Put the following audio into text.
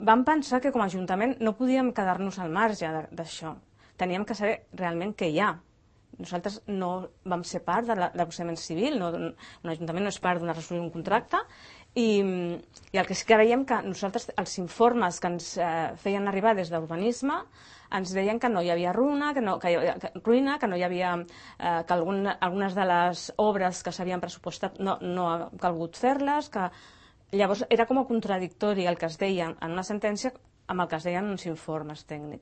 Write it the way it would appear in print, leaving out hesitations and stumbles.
vam pensar que com a Ajuntament no podíem quedar-nos al marge d'això. Teníem que saber realment què hi ha. Nosaltres no vam ser part del procediment civil, un ajuntament no és part d'una resolució d'un contracte, i el que sí que veiem que nosaltres, els informes que ens feien arribar des d'urbanisme, ens deien que no hi havia ruïna, que no hi havia, que algunes de les obres que s'havien pressupostat no ha calgut fer-les, que llavors era com a contradictori el que es deia en una sentència amb el que es deien uns informes tècnics.